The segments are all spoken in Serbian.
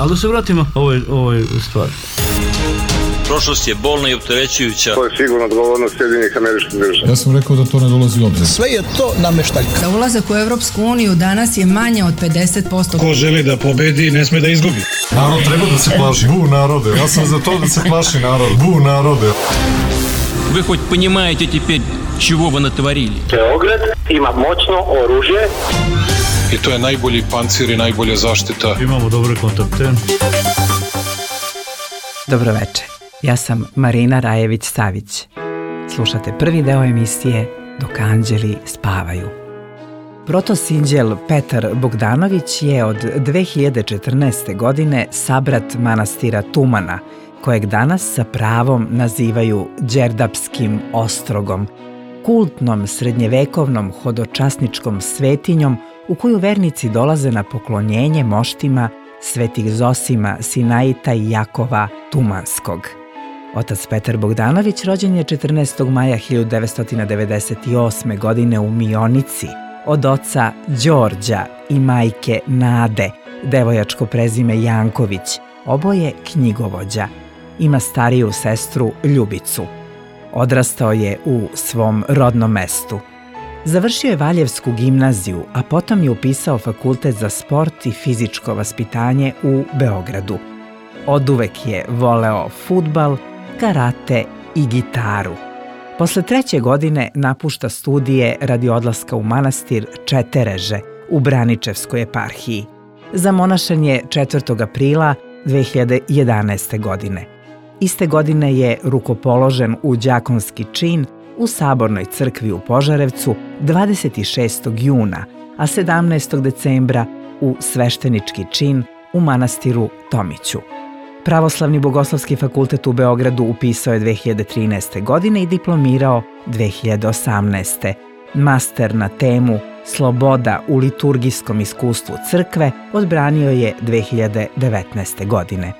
Ali da se vratimo ovoj stvari. Prošlost je bolna i opterećujuća. To je sigurno odgovornost Sjedinjenih Američkih Država. Ja sam rekao da to ne dolazi u obzir. Sve je to nameštaljka. Da ulazak u Evropsku uniju danas je manje od 50%. Ko želi da pobedi, ne sme da izgubi. Narod treba da se plaši. Bu narode. Ja sam za to da se plaši narod. Bu narode. Вы хоть понимаете теперь, чего вы натворили? Beograd ima moćno oružje. I to je najbolji pancir i najbolja zaštita. Imamo dobre kontakte. Dobro večer. Ja sam Marina Rajević-Savić. Slušate prvi deo emisije Dok anđeli spavaju. Protosinđel Petar Bogdanović je od 2014. godine sabrat manastira Tumana, kojeg danas sa pravom nazivaju Đerdapskim ostrogom, kultnom srednjevekovnom hodočasničkom svetinjom u koju vernici dolaze na poklonjenje moštima svetih Zosima, Sinaita i Jakova Tumanskog. Otac Petar Bogdanović rođen je 14. maja 1998. godine u Mionici od oca Đorđa i majke Nade, devojačko prezime Janković, oboje knjigovođa. Ima stariju sestru Ljubicu. Odrastao je u svom rodnom mestu. Završio je Valjevsku gimnaziju, a potom je upisao fakultet za sport i fizičko vaspitanje u Beogradu. Oduvek je voleo fudbal, karate i gitaru. Posle 3. godine napušta studije radi odlaska u manastir Četereže u Braničevskoj eparhiji. Zamonašan je 4. aprila 2011. godine. Iste godine je rukopoložen u đakonski čin u Sabornoj crkvi u Požarevcu 26. juna, a 17. decembra u sveštenički čin u manastiru Tomiću. Pravoslavni bogoslovski fakultet u Beogradu upisao je 2013. godine i diplomirao 2018. Master na temu Sloboda u liturgijskom iskustvu crkve odbranio je 2019. godine.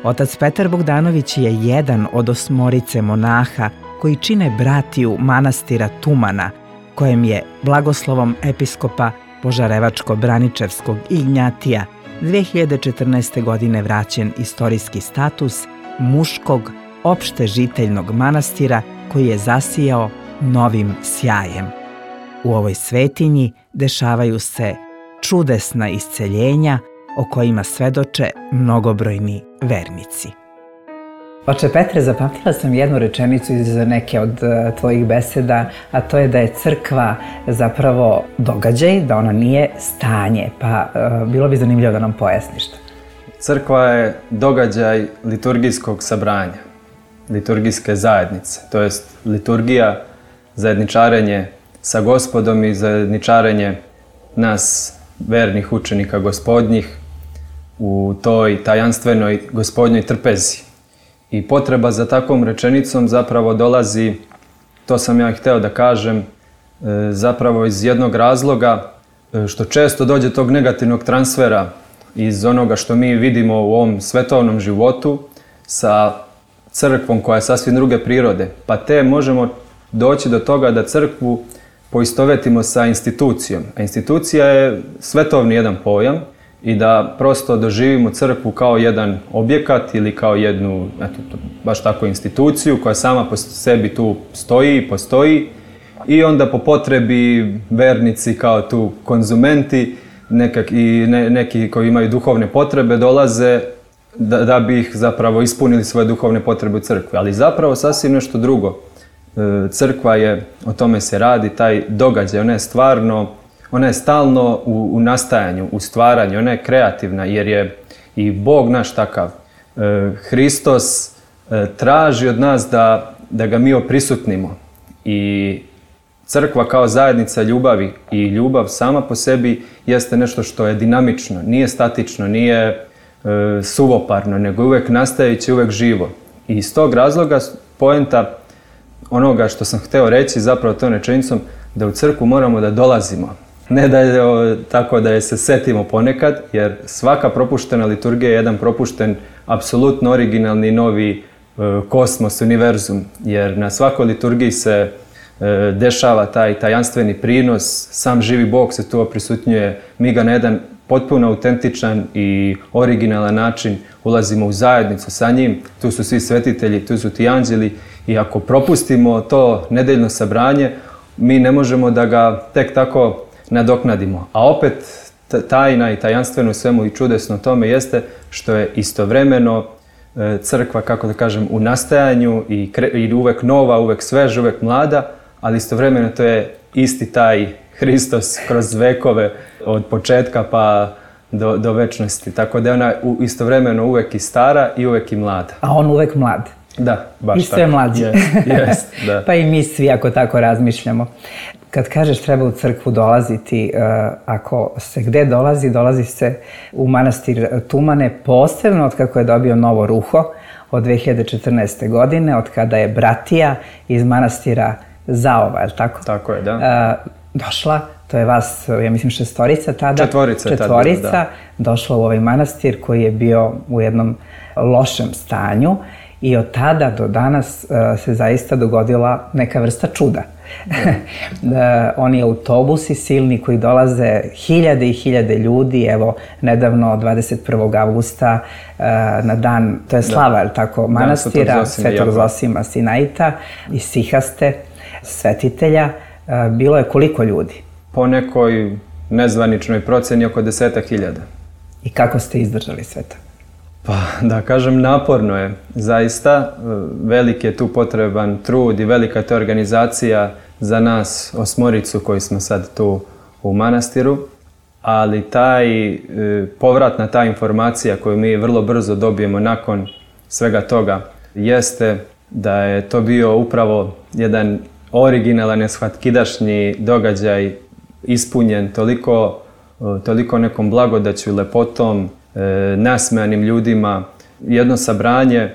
Otac Petar Bogdanović je jedan od 8 monaha koji čine bratiju manastira Tumana, kojem je blagoslovom episkopa Požarevačko-Braničevskog Ignjatija 2014. godine vraćen istorijski status muškog opštežiteljnog manastira koji je zasijao novim sjajem. U ovoj svetinji dešavaju se čudesna isceljenja o kojima svedoče mnogobrojni vernici. Oče Petre, zapamtila sam jednu rečenicu iz neke od tvojih beseda, a to je da je crkva zapravo događaj, da ona nije stanje, pa bilo bi zanimljivo da nam pojasniš to. Crkva je događaj liturgijskog sabranja, liturgijske zajednice, to jest liturgija, zajedničarenje sa Gospodom i zajedničarenje nas, vernih učenika Gospodnjih, u toj tajanstvenoj Gospodnjoj trpezi. I potreba za takvom rečenicom zapravo dolazi, to sam ja hteo da kažem, zapravo iz jednog razloga što često dođe tog negativnog transfera iz onoga što mi vidimo u ovom svetovnom životu sa crkvom koja je sasvim druge prirode. Pa te možemo doći do toga da crkvu poistovetimo sa institucijom. A institucija je svetovni jedan pojam i da prosto doživimo crkvu kao jedan objekat ili kao jednu, baš tako instituciju koja sama po sebi tu postoji i onda po potrebi vernici kao tu konzumenti neki koji imaju duhovne potrebe dolaze da bi ih zapravo ispunili svoje duhovne potrebe u crkvi. Ali zapravo sasvim nešto drugo. Crkva je, o tome se radi, taj događaj, ona je stalno u nastajanju, u stvaranju, ona je kreativna jer je i Bog naš takav. Hristos traži od nas da ga mi oprisutnimo i crkva kao zajednica ljubavi i ljubav sama po sebi jeste nešto što je dinamično, nije statično, nije suvoparno, nego uvek nastajeće, uvek živo. I iz tog razloga poenta onoga što sam hteo reći zapravo tom rečenicom da u crkvu moramo da dolazimo. Ne da je tako da je se setimo ponekad, jer svaka propuštena liturgija je jedan propušten, apsolutno originalni novi kosmos, univerzum. Jer na svakoj liturgiji se dešava taj tajanstveni prinos, sam živi Bog se tu oprisutnjuje, mi ga na jedan potpuno autentičan i originalan način ulazimo u zajednicu sa njim. Tu su svi svetitelji, tu su ti anđeli i ako propustimo to nedeljno sabranje, mi ne možemo da ga tek tako nadoknadimo. A opet tajna i tajanstveno svemu i čudesno tome jeste što je istovremeno crkva, kako da kažem, u nastajanju i uvek nova, uvek sveža, uvek mlada, ali istovremeno to je isti taj Hristos kroz vekove od početka pa do večnosti. Tako da je ona istovremeno uvek i stara i uvek i mlada. A on uvek mlad. Da, baš tako. I sve mlađi. Da. Pa i mi svi ako tako razmišljamo. Kad kažeš treba u crkvu dolaziti, ako se gde dolazi se u manastir Tumane, posebno od kako je dobio novo ruho od 2014. godine, od kada je bratija iz manastira Zaova, je li tako? Tako je, da. Došla, to je vas, ja mislim, šestorica tada. Četvorica, da. Došla u ovaj manastir koji je bio u jednom lošem stanju i od tada do danas se zaista dogodila neka vrsta čuda. Oni autobusi silni koji dolaze, hiljade i hiljade ljudi, evo nedavno 21. avgusta na dan, to je slava, je tako, manastira Svetog Zosima Sinaita i Sihaste, svetitelja, bilo je koliko ljudi? Po nekoj nezvaničnoj proceni oko 10.000. I kako ste izdržali sve to? Pa da kažem, naporno je. Zaista velik je tu potreban trud i velika je organizacija za nas osmoricu koji smo sad tu u manastiru, ali povratna ta informacija koju mi vrlo brzo dobijemo nakon svega toga jeste da je to bio upravo jedan originalan, neshvatkidašnji događaj ispunjen toliko nekom blagodaću, lepotom, nasmejanim ljudima. Jedno sabranje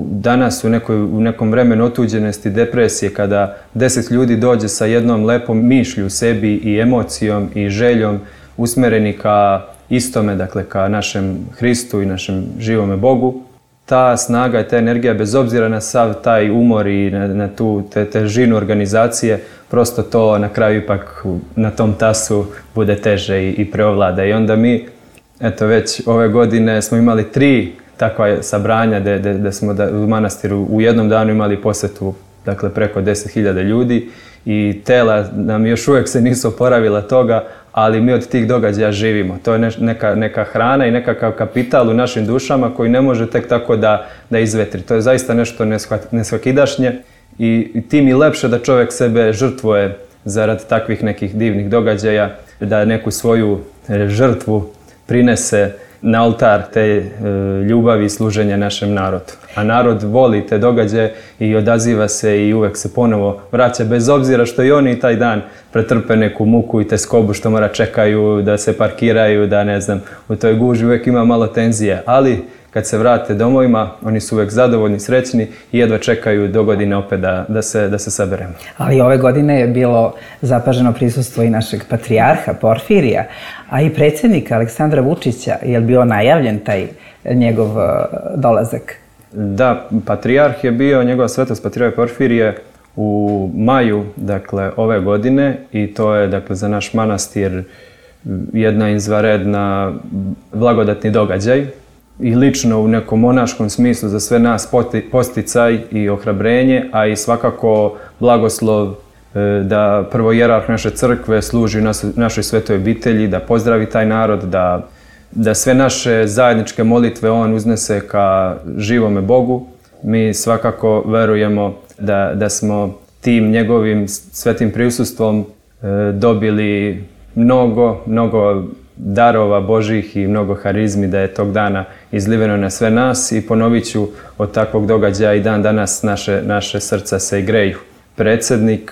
danas u nekom vremenu otuđenosti, depresije, kada 10 ljudi dođe sa jednom lepom mišlju u sebi i emocijom i željom usmereni ka istome, dakle ka našem Hristu i našem živome Bogu, ta snaga i ta energija, bez obzira na sav taj umor i na tu težinu organizacije, prosto to na kraju ipak na tom tasu bude teže i preovlada. I onda mi, eto već ove godine smo imali 3 takva sabranja da smo u manastiru u jednom danu imali posetu, dakle preko 10.000 ljudi i tela nam još uvijek se nisu oporavila toga, ali mi od tih događaja živimo. To je neka hrana i nekakav kapital u našim dušama koji ne može tek tako da izvetri. To je zaista nešto nesvakidašnje i tim i lepše da čovjek sebe žrtvuje zarad takvih nekih divnih događaja, da neku svoju žrtvu prinese na oltar te ljubavi i služenja našem narodu. A narod voli te događaje i odaziva se i uvek se ponovo vraća, bez obzira što i oni taj dan pretrpe neku muku i teskobu što mora čekaju da se parkiraju, da ne znam, u toj guži uvek ima malo tenzije. Ali kad se vrate domovima, oni su uvek zadovoljni, srećni i jedva čekaju do godine opet da se saberemo. Ali ove godine je bilo zapaženo prisustvo i našeg patrijarha Porfirija, a i predsjednika Aleksandra Vučića. Je li bio najavljen taj njegov dolazak? Da, patrijarh je bio, njegova svetost patrijarh Porfirije u maju, dakle, ove godine i to je, dakle, za naš manastir jedna izvanredna blagodatni događaj. I lično u nekom monaškom smislu za sve nas posticaj i ohrabrenje, a i svakako blagoslov da prvo hijerarh naše crkve služi našoj svetoj obitelji, da pozdravi taj narod, da sve naše zajedničke molitve on uznese ka živome Bogu. Mi svakako verujemo da smo tim njegovim svetim prisustvom dobili mnogo darova Božih i mnogo harizmi, da je tog dana izliveno na sve nas i ponovit ću, od takvog događaja i dan danas naše srca se greju. Predsjednik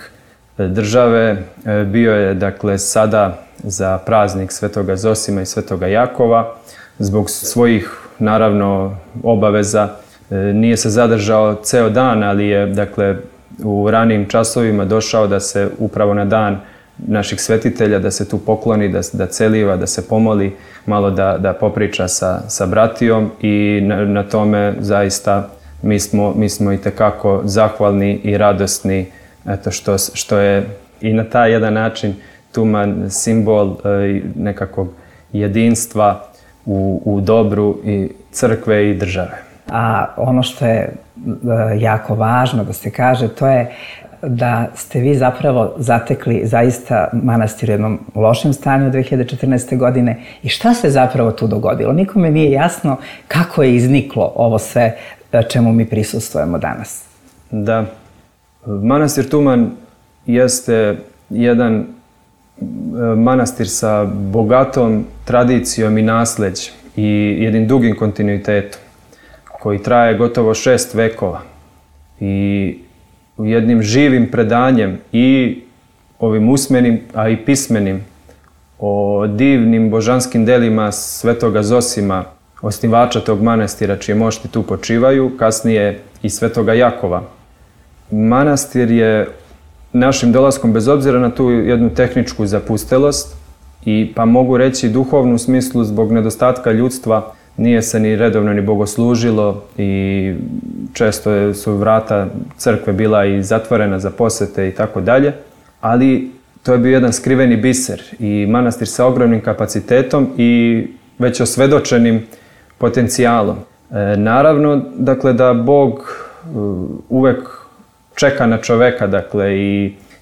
države bio je, dakle, sada za praznik Svetoga Zosima i Svetoga Jakova. Zbog svojih, naravno, obaveza nije se zadržao ceo dan, ali je, dakle, u ranijim časovima došao da se upravo na dan naših svetitelja, da se tu pokloni, da celiva, da se pomoli, malo da popriča sa bratijom i na tome zaista mi smo itekako zahvalni i radosni, eto, što je i na taj jedan način Tuman simbol nekakvog jedinstva u dobru i crkve i države. A ono što je jako važno da se kaže, to je da ste vi zapravo zatekli zaista manastir u jednom lošem stanju 2014. godine i šta se zapravo tu dogodilo? Nikome nije jasno kako je izniklo ovo sve čemu mi prisustvujemo danas. Da, manastir Tuman jeste jedan manastir sa bogatom tradicijom i nasleđem i jednim dugim kontinuitetom koji traje gotovo 6 vekova i jednim živim predanjem i ovim usmenim, a i pismenim o divnim božanskim delima Svetoga Zosima, osnivača tog manastira čije mošti tu počivaju, kasnije i Svetoga Jakova. Manastir je našim dolaskom, bez obzira na tu jednu tehničku zapustelost i pa mogu reći duhovnu smislu zbog nedostatka ljudstva, nije se ni redovno ni bogoslužilo i često su vrata crkve bila i zatvorena za posete i tako dalje, ali to je bio jedan skriveni biser i manastir sa ogromnim kapacitetom i već osvedočenim potencijalom. Naravno, dakle, da Bog uvek čeka na čoveka, dakle,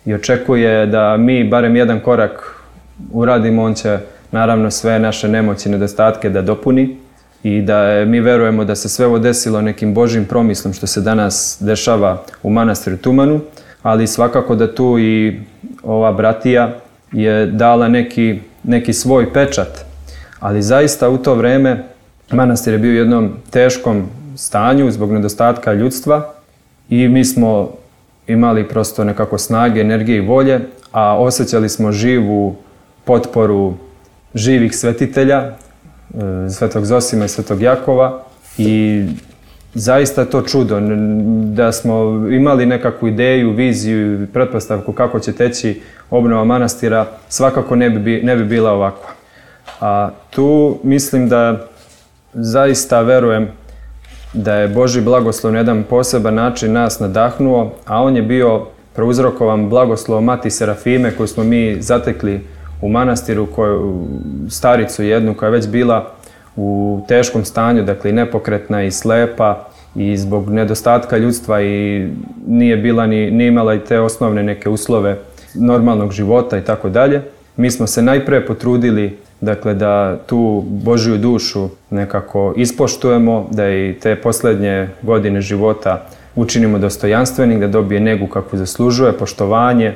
i očekuje da mi barem jedan korak uradimo, on će naravno sve naše nemoći i nedostatke da dopuni i da mi verujemo da se sve ovo desilo nekim Božjim promislom što se danas dešava u manastiru Tumanu, ali svakako da tu i ova bratija je dala neki svoj pečat. Ali zaista u to vreme manastir je bio u jednom teškom stanju zbog nedostatka ljudstva i mi smo imali prosto nekako snage, energije i volje, a osjećali smo živu potporu živih svetitelja, Svetog Zosima i Svetog Jakova i zaista je to čudo da smo imali nekakvu ideju, viziju i pretpostavku kako će teći obnova manastira, svakako ne bi bila ovakva. A tu mislim da zaista verujem da je Božji blagoslov na jedan poseban način nas nadahnuo, a on je bio prouzrokovan blagoslovom Mati Serafime koju smo mi zatekli u manastiru, staricu jednu koja je već bila u teškom stanju, dakle nepokretna i slepa i zbog nedostatka ljudstva i nije bila ni imala i te osnovne neke uslove normalnog života i tako dalje. Mi smo se najpre potrudili, dakle, da tu Božju dušu nekako ispoštujemo, da i te posljednje godine života učinimo dostojanstvenim, da dobije negu kakvu zaslužuje, poštovanje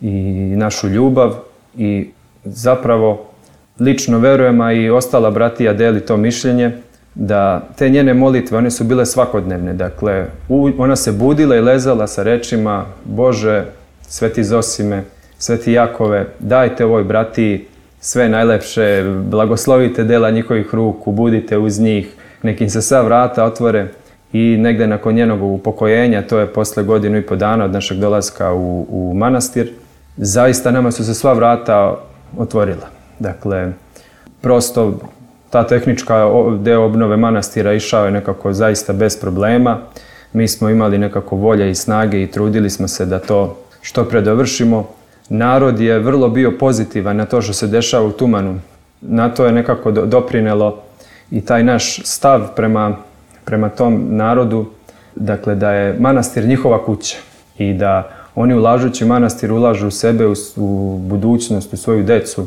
i našu ljubav i zapravo lično verujem, a i ostala bratija deli to mišljenje, da te njene molitve, one su bile svakodnevne. Dakle, ona se budila i lezala sa rečima: Bože, Sveti Zosime, Sveti Jakove, dajte ovoj bratiji sve najlepše, blagoslovite dela njihovih ruku, budite uz njih, nek im se sva vrata otvore. I negde nakon njenog upokojenja, to je posle 1.5 godina od našeg dolaska u manastir, zaista nama su se sva vrata otvorila. Dakle, prosto ta tehnička deo obnove manastira išao je nekako zaista bez problema. Mi smo imali nekako volje i snage i trudili smo se da to što pre dovršimo. Narod je vrlo bio pozitivan na to što se dešava u Tumanu. Na to je nekako doprinelo i taj naš stav prema tom narodu, dakle da je manastir njihova kuća i da oni ulažući manastir ulažu u sebe, u budućnost, u svoju decu.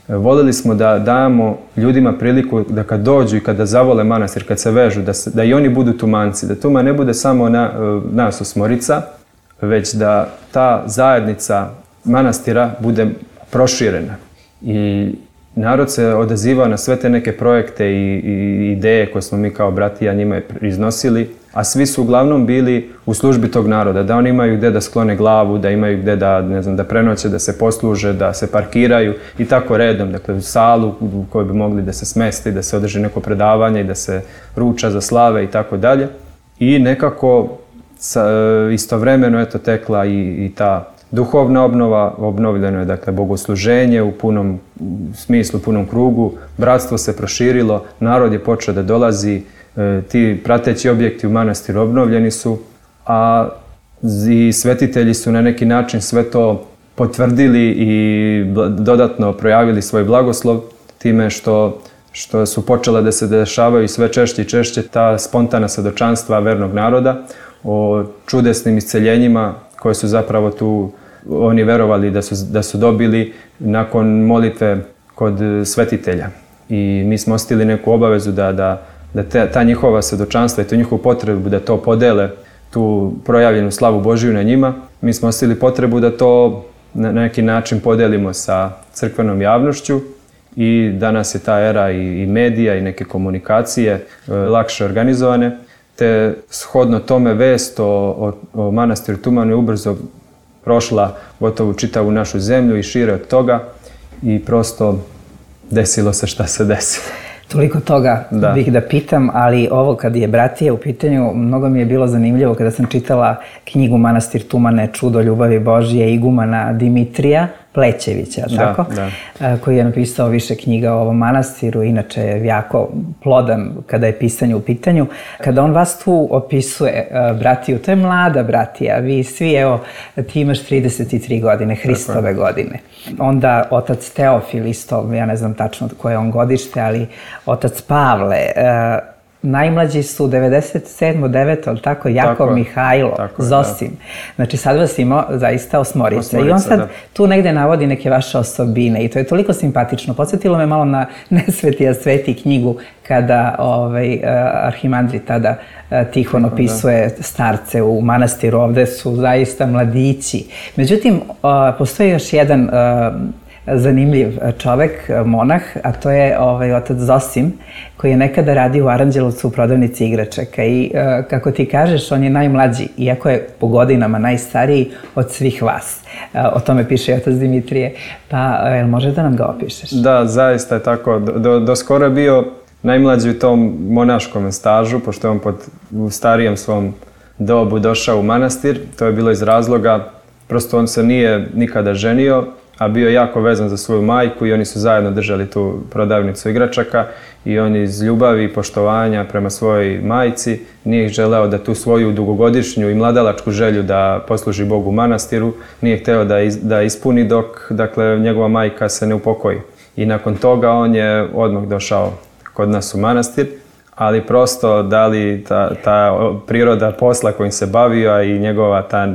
Voljeli smo da damo ljudima priliku da kad dođu i kada zavole manastir, kad se vežu, da i oni budu Tumanci, da Tuman ne bude samo nas osmorica, već da ta zajednica manastira bude proširena. I narod se odazivao na sve te neke projekte i ideje koje smo mi kao bratija njima iznosili, a svi su uglavnom bili u službi tog naroda, da oni imaju gde da sklone glavu, da imaju gde da prenoće, da se posluže, da se parkiraju i tako redom, dakle u salu u kojoj bi mogli da se smesti, da se održi neko predavanje i da se ruča za slave i tako dalje. I nekako istovremeno je to tekla i ta duhovna obnova, obnovljeno je dakle bogosluženje u punom smislu, punom krugu, bratstvo se proširilo, narod je počeo da dolazi, ti prateći objekti u manastiru obnovljeni su, a i svetitelji su na neki način sve to potvrdili i dodatno projavili svoj blagoslov, time što su počele da se dešavaju sve češće i češće ta spontana svedočanstva vernog naroda o čudesnim isceljenjima koje su zapravo tu oni verovali da su dobili nakon molitve kod svetitelja. I mi smo osjetili neku obavezu da ta njihova svedočanstva i tu njihovu potrebu da to podele, tu projavljenu slavu Božiju na njima, mi smo osjetili potrebu da to na neki način podelimo sa crkvenom javnošću i danas je ta era i medija i neke komunikacije lakše organizovane, te shodno tome vest o manastiru Tuman je ubrzo prošla gotovo čitavu našu zemlju i šire od toga i prosto desilo se šta se desilo. Toliko toga bih da pitam, ali ovo kad je bratija u pitanju, mnogo mi je bilo zanimljivo kada sam čitala knjigu Manastir Tumane, Čudo ljubavi Božije, igumana Dimitrija Plećevića, tako? Koji je napisao više knjiga o ovom manastiru, inače je jako plodan kada je pisanje u pitanju. Kada on vas tu opisuje, bratiju, to je mlada bratija, vi svi, evo, ti imaš 33 godine, Hristove godine. Onda otac Teofil isto, ja ne znam tačno koje je on godište, ali otac Pavle, najmlađi su 97. 9. ali tako, Jakov Mihajlo, Zosim. Znači sad vas ima zaista osmorica. I on sad tu negde navodi neke vaše osobine i to je toliko simpatično. Podsjetilo me malo na Nesvetija sveti knjigu kada arhimandrit tada Tihon opisuje starce u manastiru. Ovde su zaista mladići. Međutim, postoji još jedan zanimljiv čovek, monah, a to je otac Zosim, koji je nekada radio u Aranđelovcu u prodavnici igračaka i kako ti kažeš, on je najmlađi, iako je po godinama najstariji od svih vas. O tome piše i otac Dimitrije, pa može da nam ga opišeš? Da, zaista je tako. Do skoro je bio najmlađi u tom monaškom stažu, pošto je on u starijem svom dobu došao u manastir. To je bilo iz razloga, prosto on se nije nikada ženio, a bio je jako vezan za svoju majku i oni su zajedno držali tu prodavnicu igračaka i on iz ljubavi i poštovanja prema svojoj majci nije želeo da tu svoju dugogodišnju i mladalačku želju da posluži Bogu u manastiru nije hteo da ispuni dok, dakle, njegova majka se ne upokoji. I nakon toga on je odmah došao kod nas u manastir, ali prosto da li ta priroda posla kojim se bavio, a i njegova ta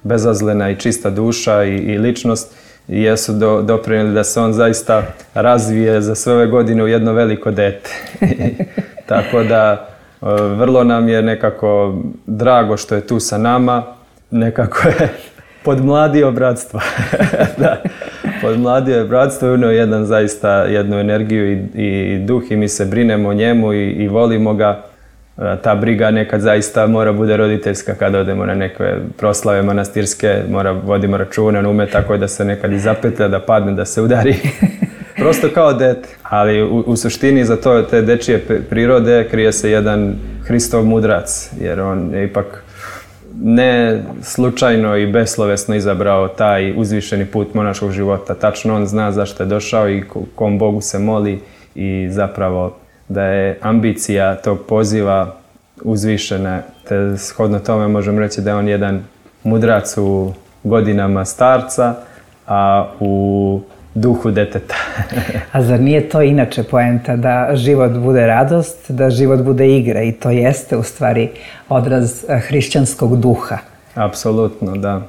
bezazlena i čista duša i ličnost jesu doprinijeli da se on zaista razvije za sve ove godine u jedno veliko dete. Tako da vrlo nam je nekako drago što je tu sa nama, nekako je podmladio bratstvo. Da, podmladio je bratstvo i unio jednu energiju i duh i mi se brinemo o njemu i volimo ga. Ta briga nekad zaista mora bude roditeljska kada odemo na neke proslave manastirske, vodimo računa na ume tako da se nekad i zapetlja, da padne, da se udari. Prosto kao dete. Ali u suštini za to te dečije prirode krije se jedan Hristov mudrac, jer on je ipak ne slučajno i beslovesno izabrao taj uzvišeni put monaškog života. Tačno on zna zašto je došao i kom Bogu se moli i zapravo da je ambicija tog poziva uzvišena, te shodno tome možemo reći da je on jedan mudrac u godinama starca, a u duhu deteta. A zar nije to inače poenta da život bude radost, da život bude igra i to jeste u stvari odraz hrišćanskog duha? Apsolutno, da.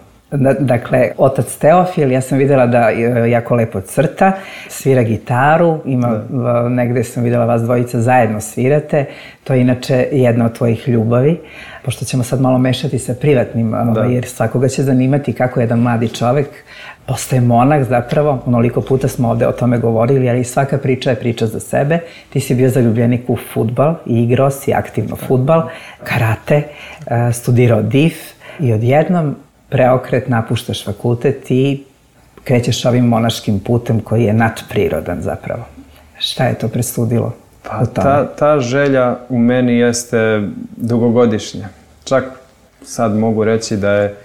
Dakle, otac Teofil, ja sam vidjela da jako lepo crta, svira gitaru, negde sam vidjela vas dvojica zajedno svirate, to je inače jedna od tvojih ljubavi, pošto ćemo sad malo mešati sa privatnim, jer svakoga će zanimati kako jedan mladi čovek postaje monah zapravo, onoliko puta smo ovde o tome govorili, ali svaka priča je priča za sebe. Ti si bio zaljubljenik u fudbal i igrao si aktivno fudbal, karate, studirao DIF i odjednom preokret, napuštaš fakultet i krećeš ovim monaškim putem koji je nadprirodan zapravo. Šta je to presudilo? Pa ta želja u meni jeste dugogodišnja. Čak sad mogu reći da je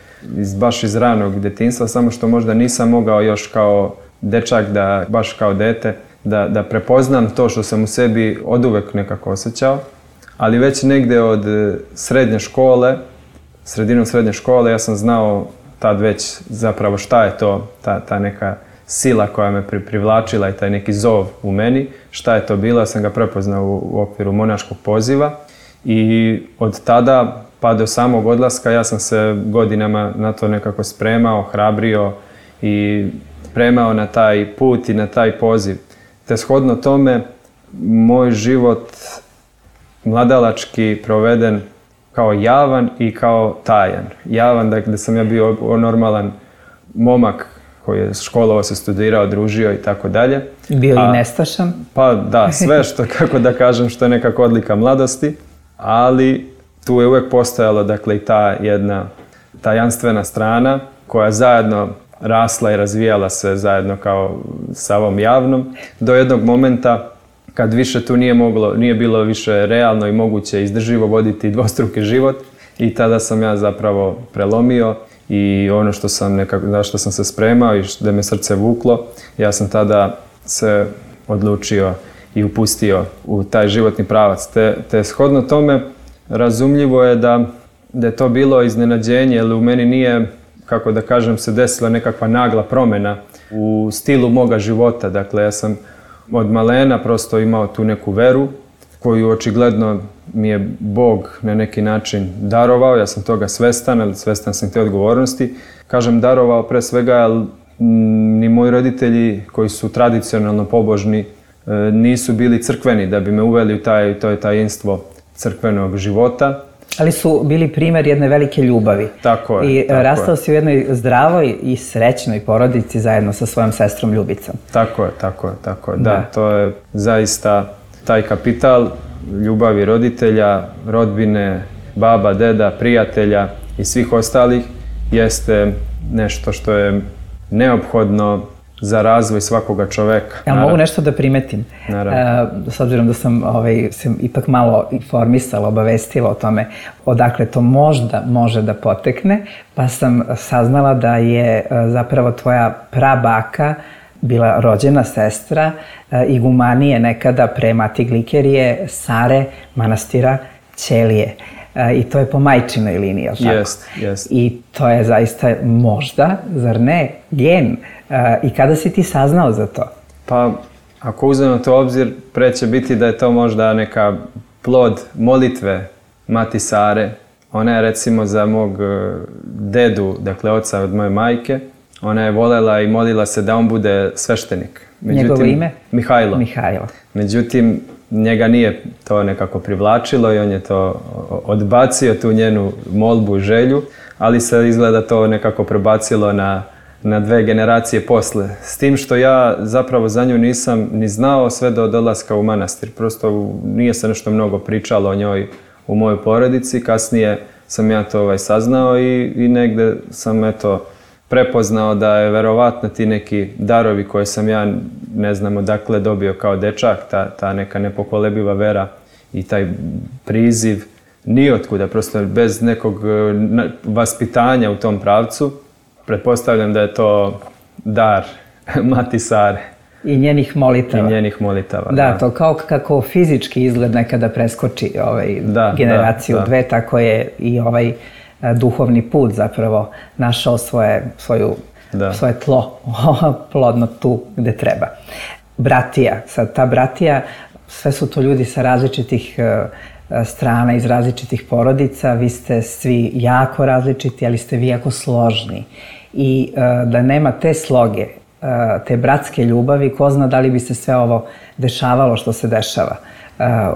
baš iz ranog detinjstva, samo što možda nisam mogao još kao dečak, baš kao dete, da prepoznam to što sam u sebi oduvek nekako osjećao, ali već negde od srednje škole, sredinom srednje škole, ja sam znao tad već zapravo šta je to, ta neka sila koja me privlačila i taj neki zov u meni. Šta je to bilo? Ja sam ga prepoznao u okviru monaškog poziva i od tada pa do samog odlaska ja sam se godinama na to nekako spremao, hrabrio i spremao na taj put i na taj poziv. Te shodno tome, moj život mladalački proveden kao javan i kao tajan. Javan, dakle, da sam ja bio normalan momak koji je školovao se, studirao, družio i tako dalje. Bio i nestašan? Pa da, sve što, kako da kažem, što je nekako odlika mladosti, ali tu je uvijek postojalo, dakle, i ta jedna tajanstvena strana koja zajedno rasla i razvijala se zajedno kao sa ovom javnom, do jednog momenta kad više tu nije bilo više realno i moguće izdrživo voditi dvostruki život i tada sam ja zapravo prelomio i ono što sam za što sam se spremao i da me srce vuklo, ja sam tada se odlučio i upustio u taj životni pravac. Te shodno tome razumljivo je da je to bilo iznenađenje, jer u meni nije, kako da kažem, se desila nekakva nagla promjena u stilu moga života. Dakle, ja sam od malena prosto imao tu neku veru koju očigledno mi je Bog na neki način darovao. Ja sam toga svestan, ali svestan sam te odgovornosti. Kažem darovao pre svega, jer ni moji roditelji koji su tradicionalno pobožni nisu bili crkveni da bi me uveli u to tajinstvo crkvenog života. Ali su bili primjer jedne velike ljubavi. Tako je. I rastao si u jednoj zdravoj i srećnoj porodici zajedno sa svojom sestrom Ljubicom. Tako je. Da, to je zaista taj kapital ljubavi roditelja, rodbine, baba, deda, prijatelja i svih ostalih jeste nešto što je neophodno za razvoj svakoga čoveka. Ja mogu nešto da primetim? S obzirom da sam ipak malo informisala, obavestila o tome odakle to možda može da potekne, pa sam saznala da je zapravo tvoja prabaka bila rođena sestra igumanije nekada pre Mati Glikerije, Sare manastira Ćelije. I to je po majčinoj liniji, je li tako? Jest. I to je zaista možda, zar ne, gen. I kada si ti saznao za to? Pa, ako uzmemo to u obzir, pre će biti da je to možda neka plod molitve Mati Sare. Ona je recimo za mog dedu, dakle oca od moje majke, ona je volela i molila se da on bude sveštenik. Njegovo ime? Mihajlo. Međutim, njega nije to nekako privlačilo i on je to odbacio, tu njenu molbu i želju, ali se izgleda to nekako prebacilo na 2 generacije posle. S tim što ja zapravo za nju nisam ni znao sve do dolaska u manastir. Prosto nije se nešto mnogo pričalo o njoj u mojoj porodici. Kasnije sam ja to saznao i negde sam prepoznao da je verovatno ti neki darovi koje sam ja ne znam odakle dobio kao dečak, ta neka nepokolebiva vera i taj priziv nijotkuda, prosto bez nekog vaspitanja u tom pravcu. Pretpostavljam da je to dar Mati Sare. I njenih molitava. Da, to kao kako fizički izgled nekada preskoči generaciju dve, tako je i duhovni put zapravo našao svoje tlo, plodno tu gde treba. Bratija, sad ta bratija, sve su to ljudi sa različitih strana, iz različitih porodica, vi ste svi jako različiti, ali ste vi jako složni. I da nema te sloge, te bratske ljubavi, ko zna da li bi se sve ovo dešavalo što se dešava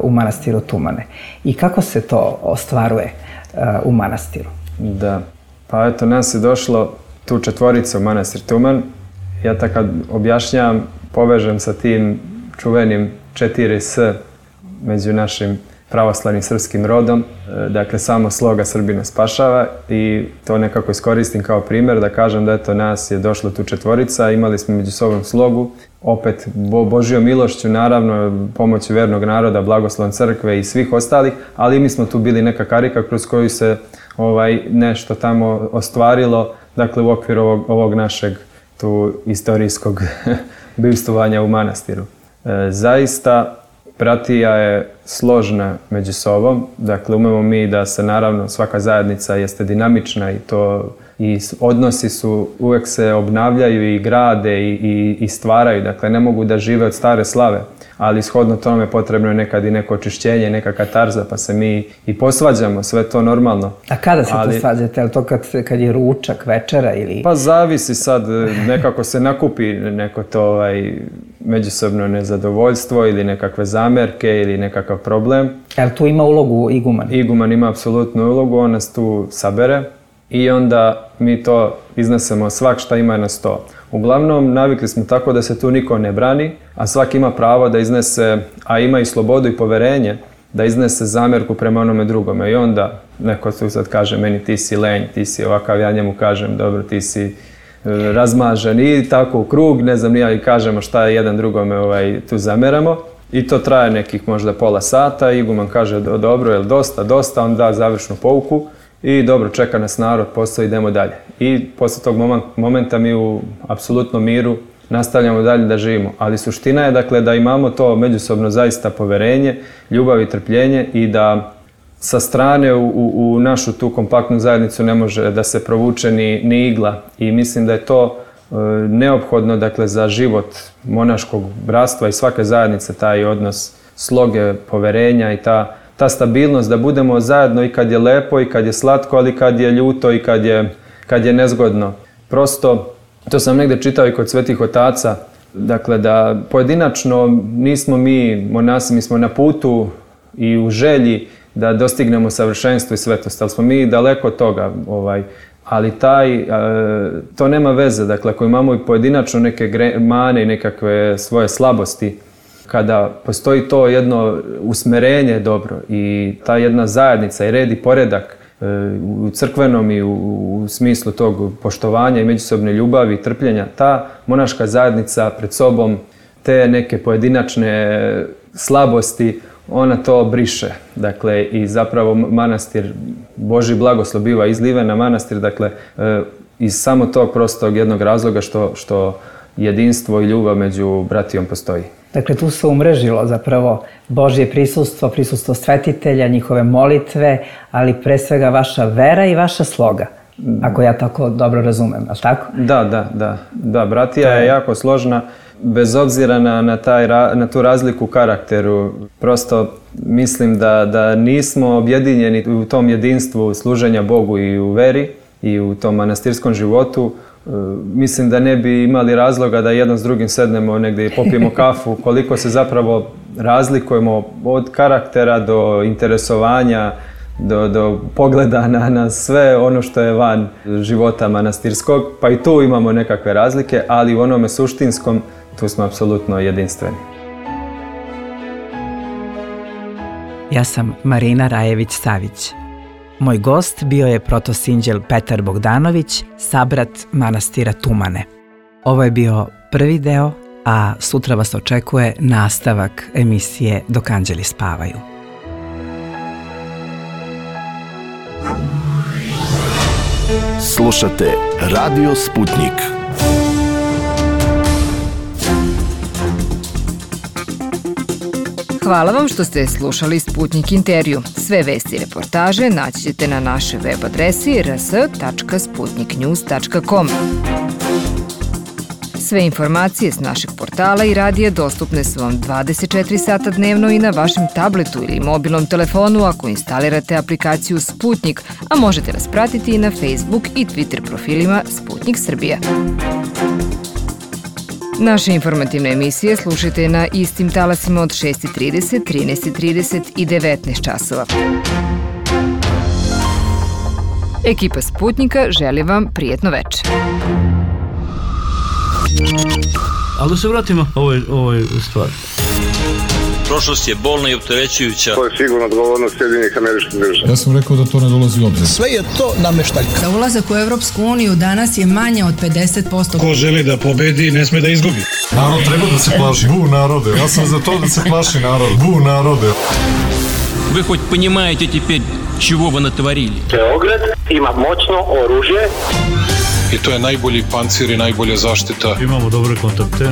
u manastiru Tumane. I kako se to ostvaruje u manastiru? Da, pa eto, nas je došlo tu 4 u manastir Tuman. Ja tako kad objašnjavam, povežem sa tim čuvenim 4S među našim pravoslavnim srpskim rodom. Dakle, samo sloga Srbina spašava i to nekako iskoristim kao primjer da kažem da eto nas je došlo tu 4, imali smo među sobom slogu, opet Božjom milošću, naravno pomoću vernog naroda, blagoslovom crkve i svih ostalih, ali mi smo tu bili neka karika kroz koju se nešto tamo ostvarilo, dakle u okviru ovog našeg tu istorijskog bivstvovanja u manastiru. Zaista Bratija je složna među sobom, dakle umemo mi da se naravno svaka zajednica jeste dinamična i odnosi su, uvijek se obnavljaju i grade i stvaraju, dakle ne mogu da žive od stare slave, ali shodno tome potrebno je nekad i neko očišćenje, neka katarza, pa se mi i posvađamo, sve to normalno. A kada se to svađate? Je li to kad je ručak, večera ili... Pa zavisi sad, nekako se nakupi neko to međusobno nezadovoljstvo ili nekakve zamerke ili nekakav problem. Je li tu ima ulogu iguman? Iguman ima apsolutnu ulogu, on nas tu sabere i onda mi to iznesemo svak šta ima na sto. Uglavnom, navikli smo tako da se tu niko ne brani, a svak ima pravo da iznese, a ima i slobodu i poverenje, da iznese zamjerku prema onome drugome. I onda neko tu sad kaže meni ti si lenj, ti si ovakav, ja njemu kažem dobro ti si razmažen i tako u krug, ne znam, i kažemo šta je jedan drugome tu zameramo. I to traje nekih možda pola sata, iguman kaže dobro, jel dosta, on da završnu pouku i dobro, čeka nas narod, posao, idemo dalje. I poslije tog momenta mi u apsolutnom miru nastavljamo dalje da živimo. Ali suština je dakle da imamo to međusobno zaista poverenje, ljubav i trpljenje i da sa strane u našu tu kompaktnu zajednicu ne može da se provuče ni igla. I mislim da je to neophodno dakle za život monaškog bratstva i svake zajednice, taj odnos sloge, poverenja i ta stabilnost da budemo zajedno i kad je lepo i kad je slatko, ali kad je ljuto i kad je nezgodno. Prosto, to sam negdje čitao i kod svetih otaca, dakle da pojedinačno nismo mi monasi, mi smo na putu i u želji da dostignemo savršenstvo i svetost, ali smo mi daleko od toga. Ali to nema veze, dakle ako imamo i pojedinačno neke mane i nekakve svoje slabosti, kada postoji to jedno usmerenje dobro i ta jedna zajednica i red i poredak u crkvenom i u smislu tog poštovanja i međusobne ljubavi i trpljenja, ta monaška zajednica pred sobom te neke pojedinačne slabosti, ona to briše. Dakle, i zapravo manastir, Božji blagoslov biva izliven na manastir, dakle, iz samo tog prostog jednog razloga što jedinstvo i ljubav među bratijom postoji. Dakle, tu se umrežilo zapravo Božje prisustvo svetitelja, njihove molitve, ali pre svega vaša vera i vaša sloga, ako ja tako dobro razumem, ali tako? Da, bratija je jako složna, bez obzira na tu razliku u karakteru. Prosto mislim da nismo objedinjeni u tom jedinstvu služenja Bogu i u veri i u tom manastirskom životu. Mislim da ne bi imali razloga da jedan s drugim sednemo negdje i popijemo kafu, koliko se zapravo razlikujemo od karaktera do interesovanja, do pogleda na sve ono što je van života manastirskog, pa i tu imamo nekakve razlike, ali u onome suštinskom tu smo apsolutno jedinstveni. Ja sam Marina Rajević-Savić. Moj gost bio je protosinđel Petar Bogdanović, sabrat manastira Tumane. Ovo je bio prvi deo, a sutra vas očekuje nastavak emisije Dok anđeli spavaju. Slušate Radio Sputnik. Hvala vam što ste slušali Sputnik intervju. Sve vesti i reportaže naći ćete na našoj web adresi rs.sputniknews.com. Sve informacije s našeg portala i radija dostupne su vam 24 sata dnevno i na vašem tabletu ili mobilnom telefonu ako instalirate aplikaciju Sputnik, a možete nas pratiti i na Facebook i Twitter profilima Sputnik Srbija. Naše informativne emisije slušajte na istim talasima od 6:30, 13:30 i 19 časova. Ekipa Sputnika želi vam prijetno večer. Ali da se vratimo ovoj stvari. Prošlost je bolna i opterećujuća. To je sigurno odgovornost Sjedinjenih Američkih Država. Ja sam rekao da to ne dolazi u obzir. Sve je to nameštaljka. Za ulazak u Evropsku uniju danas je manje od 50%. Ko želi da pobedi, ne sme da izgubi. Narod treba da se plaši. Bu narode. Ja sam za to da se plaši narod. Bu narode. Вы хоть понимаете теперь, чего вы натворили? Beograd ima moćno oružje. I to je najbolji pancir i najbolja zaštita. Imamo dobre kontakte.